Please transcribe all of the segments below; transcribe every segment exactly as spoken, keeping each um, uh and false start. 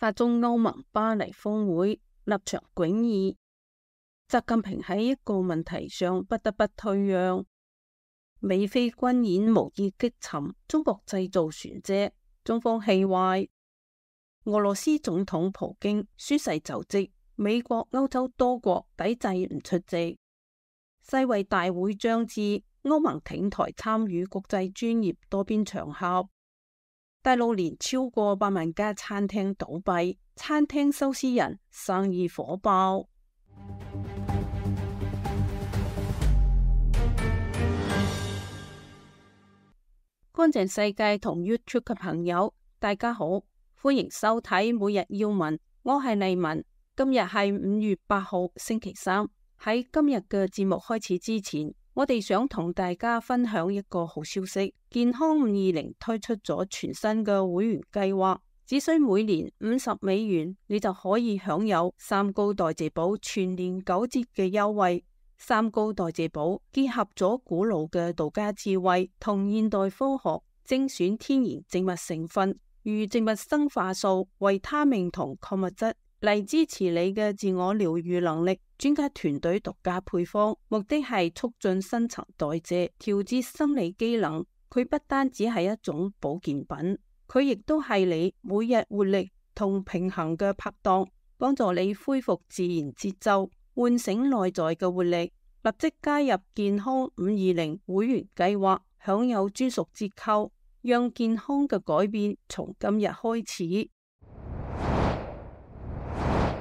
法中歐盟巴黎峰會立場迥異，習近平喺一個問題上不得不退讓。美菲軍演無意擊沉中國製造船隻，中方氣壞。俄羅斯總統普京宣誓就職，美國、歐洲多國抵制唔出席。世衛大會將至，歐盟挺台參與國際專業多邊場合。大陸連超過百萬家餐廳倒閉，餐廳收屍人生意火爆。乾淨世界同 YouTube 嘅朋友，大家好，歡迎收睇每日要聞，我係麗文。今日係五月八號星期三。喺今日嘅節目開始之前，我哋想同大家分享一個好消息，健康五二零推出咗全新嘅會員計劃，只需每年五十美元，你就可以享有三高代謝寶全年九折嘅優惠。三高代謝寶結合咗古老嘅道家智慧同現代科學，精選天然植物成分，如植物生化素、維他命同礦物質嚟支持你嘅自我療癒能力。專家團隊獨家配方，目的係促進新陳代謝，調節生理機能。佢不單只係一種保健品，佢亦都係你每日活力同平衡嘅拍檔，幫助你恢復自然節奏，喚醒內在嘅活力。立即加入健康五二零會員計劃，享有專屬折扣，讓健康嘅改變從今日開始。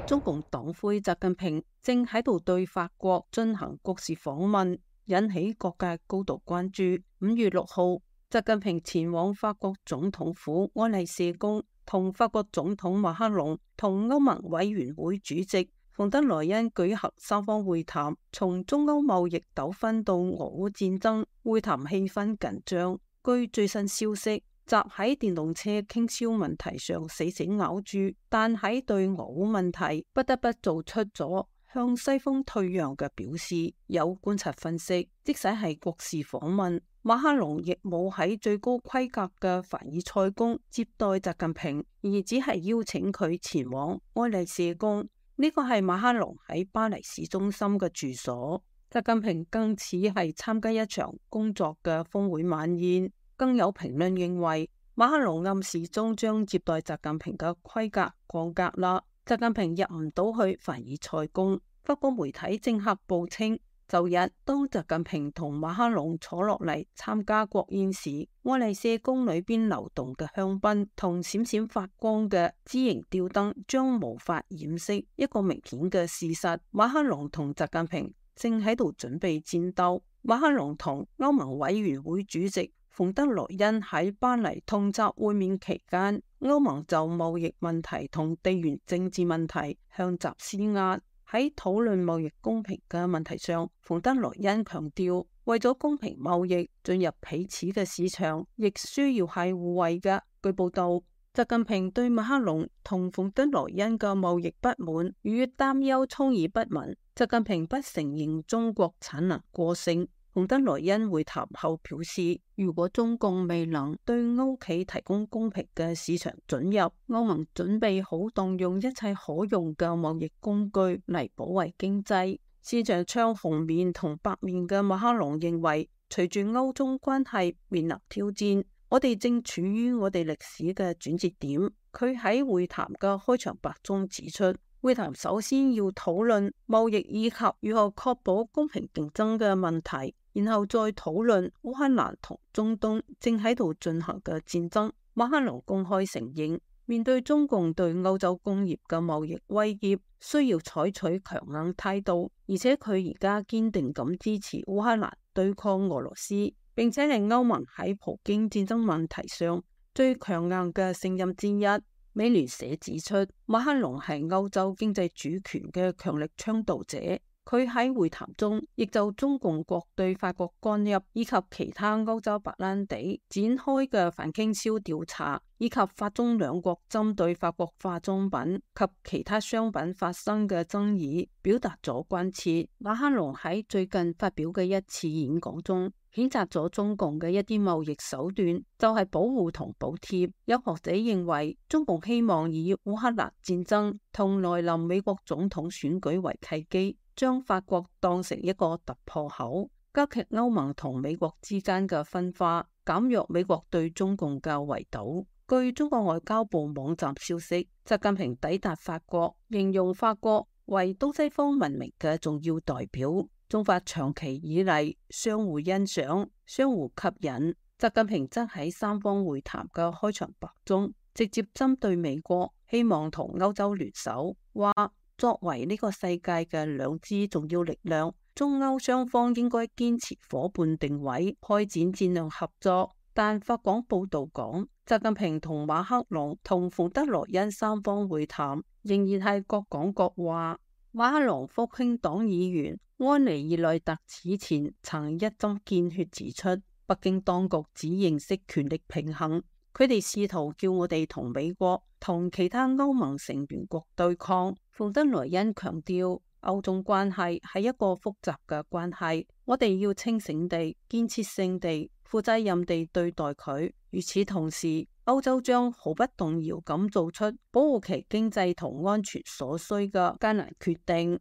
中共黨魁習近平正喺度對法國進行國事訪問，引起各界高度關注。五月六號，習近平前往法國總統府愛麗舍宮，同法國總統馬克龍同歐盟委員會主席馮德萊恩舉行三方會談，從中歐貿易糾紛到俄烏戰爭，會談氣氛緊張。據最新消息，習喺電動車傾銷問題上死死咬住，但喺對俄烏問題不得不做出咗向西方退讓嘅表示。有觀察分析，即使係國事訪問，馬克龍亦冇喺最高規格嘅凡爾賽宮接待習近平，而只係邀請佢前往愛麗舍宮。呢個係馬克龍喺巴黎市中心嘅住所。習近平更似係參加一場工作嘅峰會晚宴。更有評論認為，馬克龍暗示中將接待習近平嘅規格降格啦。習近平入唔到去凡爾賽宮。法國媒體政客報稱，周日當習近平同馬克龍坐落嚟參加國宴時，愛麗舍宮裏邊流動嘅香檳同閃閃發光嘅枝形吊燈將無法掩飾一個明顯嘅事實：馬克龍同習近平正喺度準備戰鬥。馬克龍同歐盟委員會主席馮德萊恩喺巴黎同習會面期間，歐盟就貿易問題同地緣政治問題向習施壓。喺討論貿易公平嘅問題上，馮德萊恩強調，為咗公平貿易，進入彼此嘅市場亦需要係互惠嘅。據報道，習近平對馬克龍同馮德萊恩嘅貿易不滿與擔憂充耳不聞。習近平不承認中國產能過剩。馮德萊恩會談後表示，如果中共未能對歐企提供公平嘅市場准入，歐盟準備好動用一切可用嘅貿易工具嚟保衛經濟。市場唱紅面同白面嘅馬克龍認為，隨住歐中關係面臨挑戰，我哋正處於我哋歷史嘅轉折點。佢喺會談嘅開場白中指出，會談首先要討論貿易以及如何確保公平競爭嘅問題。然後再討論烏克蘭同中東正喺度進行嘅戰爭。馬克龍公開承認，面對中共對歐洲工業嘅貿易威脅，需要採取強硬態度，而且佢而家堅定咁支持烏克蘭對抗俄羅斯，並且係歐盟喺普京戰爭問題上最強硬嘅聲音之一。美聯社指出，馬克龍係歐洲經濟主權嘅強力倡導者。佢喺會談中亦就中共國對法國干預以及其他歐洲白蘭地展開嘅反傾銷調查，以及法中兩國針對法國化妝品及其他商品發生嘅爭議表達咗關切。馬克龍喺最近發表嘅一次演講中，譴責咗中共嘅一啲貿易手段就係保護同補貼。有學者認為，中共希望以烏克蘭戰爭同來臨美國總統選舉為契機，將法國當成一個突破口，加劇歐盟同美國之間嘅分化，減弱美國對中共嘅圍堵。據中國外交部網站消息，習近平抵達法國，形容法國為東西方文明嘅重要代表。中法長期以嚟相互欣賞、相互吸引。習近平則喺三方會談嘅開場白中，直接針對美國，希望同歐洲聯手，話作為呢個世界嘅兩支重要力量，中歐雙方應該堅持夥伴定位，開展戰略合作。但法廣報道講，習近平同馬克龍同馮德萊恩三方會談，仍然係各講各話。馬克龍復興黨議員安尼爾內特此前曾一針見血指出，北京當局只認識權力平衡，佢哋試圖叫我哋同美國同其他歐盟成員國對抗。馮德萊恩強調，歐中關係係一個複雜嘅關係，我哋要清醒地、建設性地、負責任地對待佢。與此同時，歐洲將毫不動搖咁做出保護其經濟同安全所需嘅艱難決定。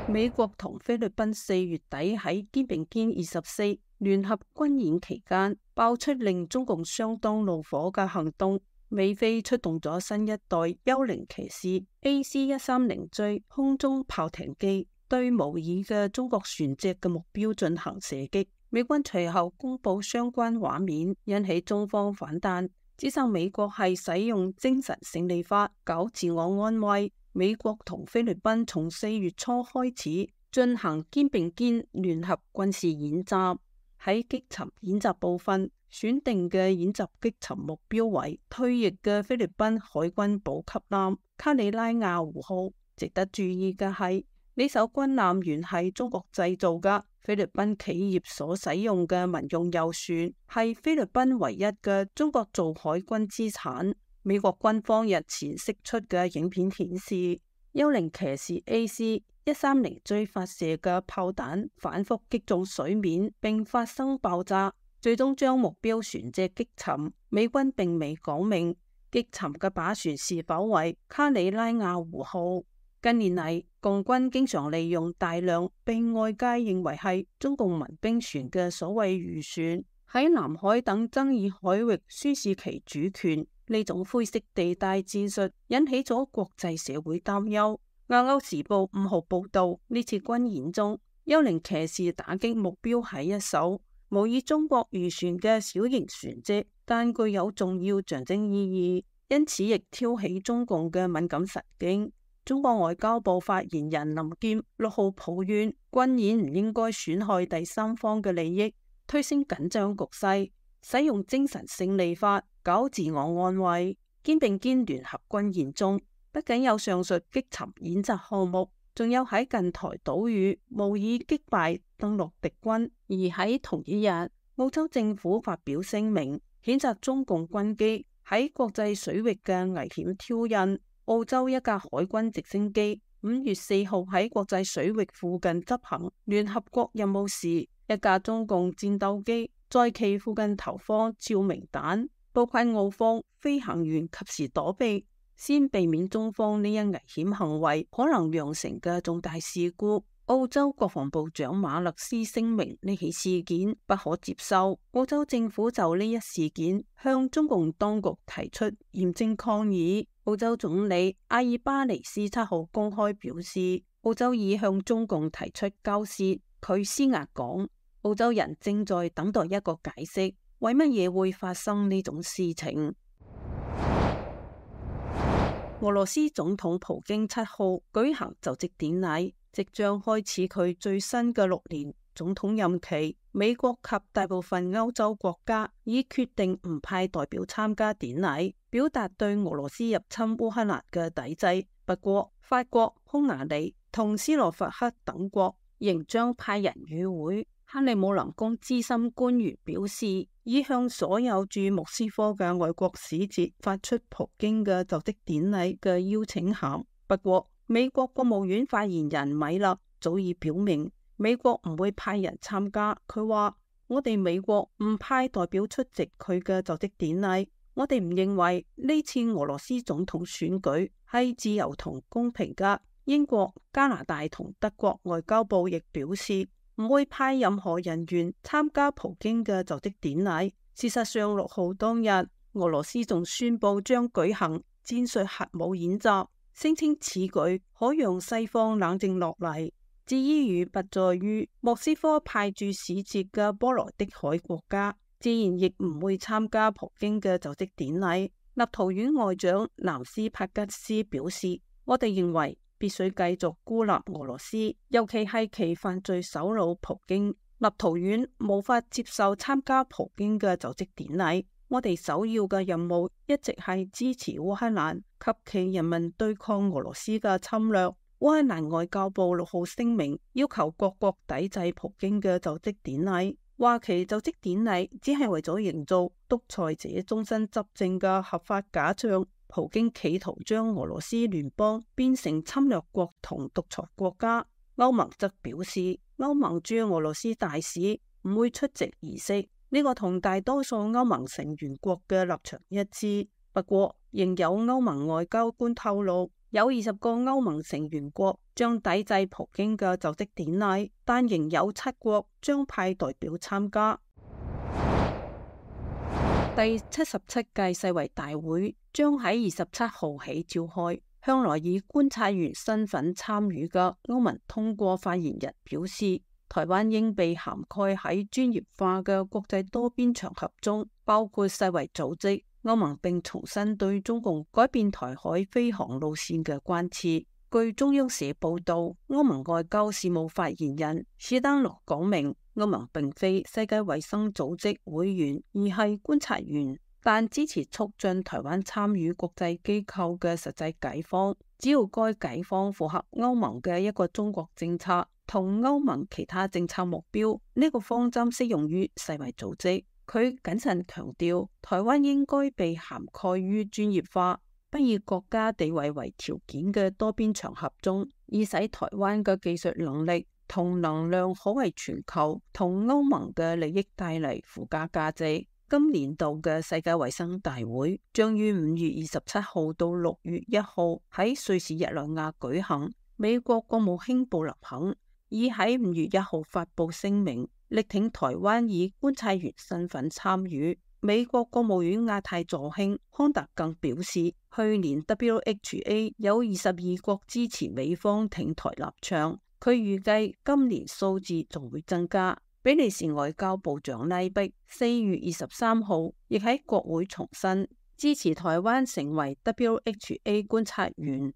美國同菲律賓四月底喺肩並肩二十四聯合軍演期間，爆出令中共相當怒火嘅行動。美菲出動咗新一代幽靈騎士 A C 一三零 J 空中炮艇機，對模擬嘅中國船隻嘅目標進行射擊。美軍隨後公布相關畫面，引起中方反彈，指責美國係使用精神勝利法搞自我安慰。美國同菲律賓從四月初開始進行肩並肩聯合軍事演習，喺擊沉演習部分，選定嘅演習擊沉目標為退役嘅菲律賓海軍補給艦卡里拉亞湖號。值得注意嘅係，呢艘軍艦原係中國製造嘅，菲律賓企業所使用嘅民用遊船係菲律賓唯一嘅中國造海軍資產。美國軍方日前釋出嘅影片顯示，幽靈騎士 A C 一三零 J 發射嘅炮彈反覆擊中水面並發生爆炸，最終將目標船隻擊沉。美軍並未講明擊沉嘅靶船是否為卡里拉亞湖號。近年嚟，共軍經常利用大量被外界認為係中共民兵船嘅所謂漁船，喺南海等爭議海域宣示其主權。呢種灰色地帶戰術引起咗國際社會擔憂。亞歐時報五號報道，呢次軍演中，幽靈騎士打擊目標係一艘模擬中國漁船嘅小型船隻，但具有重要象徵意義，因此亦挑起中共嘅敏感神經。中國外交部發言人林劍六號抱怨，軍演唔應該損害第三方嘅利益，推升緊張局勢，使用精神勝利法搞自我安慰。肩並肩聯合軍演中，不僅有上述擊沉演習項目，仲有喺近台島嶼模擬擊敗登陸敵軍。而喺同一日，澳洲政府發表聲明，譴責中共軍機喺國際水域嘅危險挑釁。澳洲一架海軍直升機五月四號喺國際水域附近執行聯合國任務時，一架中共戰鬥機在其附近投放照明彈，部分澳方飛行員及時躲避，先避免中方呢一危險行為可能釀成嘅重大事故。澳洲國防部長馬勒斯聲明，呢起事件不可接受。澳洲政府就呢一事件向中共當局提出嚴正抗議。澳洲總理阿爾巴尼斯七號公開表示，澳洲已向中共提出交涉。佢施壓講，澳洲人正在等待一個解釋，為乜嘢會發生呢種事情。俄羅斯總統普京七號舉行就職典禮，即將開始佢最新嘅六年總統任期。美國及大部分歐洲國家已決定唔派代表參加典禮，表達對俄羅斯入侵烏克蘭嘅抵制。不過，法國、匈牙利同斯洛伐克等國仍將派人與會。克里姆林宮資深官員表示，已向所有駐莫斯科嘅外國使節發出普京嘅就職典禮嘅邀請函。不過，美國國務院發言人米勒早已表明，美國唔會派人參加。佢話：我哋美國唔派代表出席佢嘅就職典禮。我哋唔認為呢次俄羅斯總統選舉係自由同公平㗎。英國、加拿大同德國外交部亦表示唔會派任何人員參加普京嘅就職典禮。事實上，六號當日，俄羅斯仲宣布將舉行戰術核武演習，聲稱此舉可讓西方冷靜落嚟。至於不在於莫斯科派駐使節嘅波羅的海國家，自然亦唔會參加普京嘅就職典禮。立陶宛外長南斯帕吉斯表示：我哋認為必須繼續孤立俄羅斯，尤其係其犯罪首腦普京。立陶宛無法接受參加普京嘅就職典禮。我哋首要嘅任務一直係支持烏克蘭及其人民對抗俄羅斯嘅侵略。烏克蘭外交部六號聲明要求各國抵制普京嘅就職典禮，話其就職典禮只係為咗營造獨裁者終身執政嘅合法假象。普京企圖將俄羅斯聯邦變成侵略國同獨裁國家。歐盟則表示，歐盟駐俄羅斯大使唔會出席儀式，呢個同大多數歐盟成員國嘅立場一致。不過，仍有歐盟外交官透露，有二十個歐盟成員國將抵制普京嘅就職典禮，但仍有七國將派代表參加。第七十七屆世衛大會將喺二十七號起召開，向來以觀察員身份參與嘅歐盟通過發言人表示，台灣應被涵蓋喺專業化嘅國際多邊場合中，包括世衛組織。歐盟並重申對中共改變台海飛航路線嘅關切。據中央社報道，歐盟外交事務發言人史丹諾講明，歐盟並非世界衛生組織會員，而係觀察員，但支持促進台灣參與國際機構嘅實際解方，只要該解方符合歐盟嘅一個中國政策同歐盟其他政策目標，呢、這個方針適用於世衛組織。佢謹慎強調，台灣應該被涵蓋於專業化，不以國家地位為條件嘅多邊場合中，以使台灣嘅技術能力同能量可為全球同歐盟嘅利益帶嚟附加價值。今年度嘅世界衛生大會將於五月二十七號到六月一號喺瑞士日內瓦舉行。美國國務卿布林肯已喺五月一號發布聲明，力挺台灣以觀察員身份參與。美國國務院亞太助卿康達更表示，去年 W H A 有二十二國支持美方挺台立場，佢預計今年數字仲會增加。比利時外交部長拉碧四月二十三號亦喺國會重申支持台灣成為 W H A 觀察員。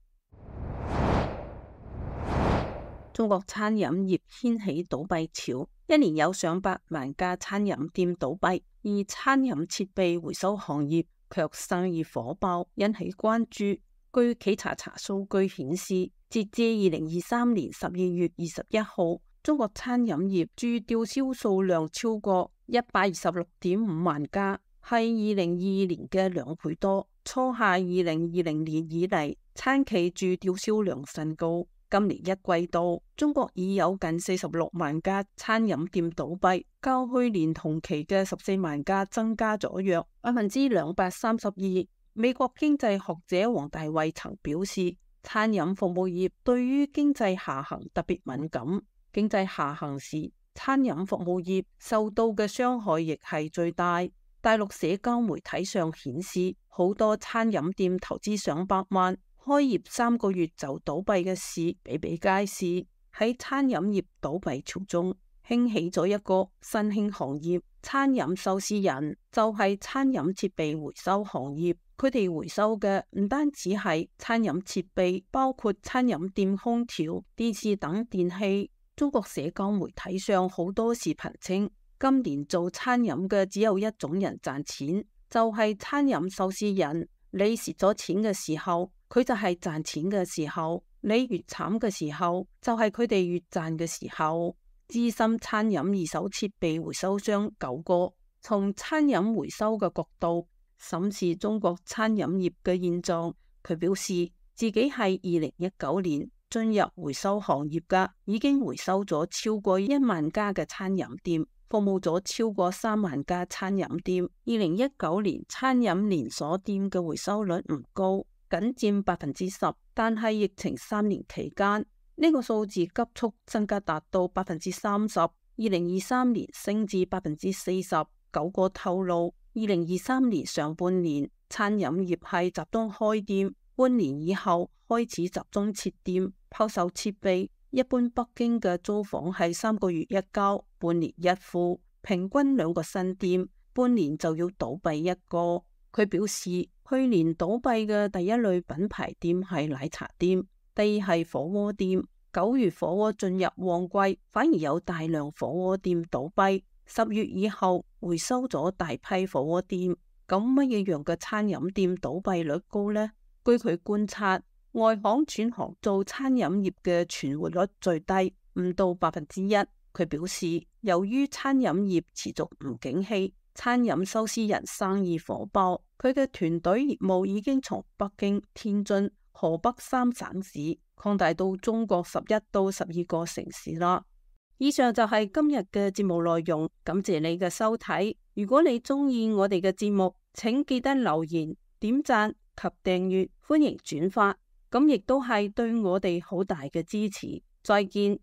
中國餐飲業掀起倒閉潮，一年有上百萬家餐飲店倒閉，而餐飲設備回收行業卻生意火爆，引起關注。據企查查數據顯示，截至二零二三年十二月二十一號，中國餐飲業駐吊銷數量超過一百二十六點五萬家，係二零二二年嘅兩倍多，創下二零二零年以嚟餐企駐吊銷量新高。今年一季度，中國已有近四十六萬家餐飲店倒閉，較去年同期嘅十四萬家增加咗約百分之兩百三十二。美國經濟學者王大衛曾表示，餐飲服務業對於經濟下行特別敏感，經濟下行時，餐飲服務業受到嘅傷害亦係最大。大陸社交媒體上顯示，好多餐飲店投資上百萬，開業三個月就倒閉嘅事比比皆是。喺餐飲業倒閉潮中，興起咗一個新興行業——餐飲收屍人，就係餐飲設備回收行業。佢哋回收嘅唔單止係餐飲設備，包括餐飲店空調、電視等電器。中國社交媒體上好多視頻稱，今年做餐飲嘅只有一種人賺錢，就係餐飲收屍人。你蝕咗錢嘅時候，佢就係賺錢嘅時候；你越慘嘅時候，就係佢哋越賺嘅時候。資深餐飲二手設備回收商九哥從餐飲回收嘅角度審視中國餐飲業嘅現狀，佢表示自己係二零一九年進入回收行業嘅，已經回收咗超過一萬家嘅餐飲店，服務咗超過三萬家餐飲店。二零一九年餐飲連鎖店嘅回收率唔高，僅佔百分之十，但係疫情三年期間，呢個數字急速增加達到百分之三十。二零二三年升至百分之四十。九個透露，二零二三年上半年餐飲業係集中開店，半年以後開始集中撤店、拋售設備。一般北京嘅租房係三個月一交，半年一付，平均兩個新店，半年就要倒閉一個。佢表示，去年倒閉嘅第一類品牌店係奶茶店，第二係火鍋店。九月火鍋進入旺季，反而有大量火鍋店倒閉。十月以後回收咗大批火鍋店。咁乜嘢樣嘅餐飲店倒閉率高呢？據佢觀察，外行轉行做餐飲業嘅存活率最低，唔到百分之一。佢表示，由於餐飲業持續唔景氣，餐飲收屍人生意火爆，佢嘅團隊業務已經從北京、天津、河北三省市擴大到中國十一到十二個城市啦。以上就係今日嘅節目內容，感謝你嘅收睇。如果你中意我哋嘅節目，請記得留言、點讚及訂閱，歡迎轉發，咁亦都係對我哋好大嘅支持。再見。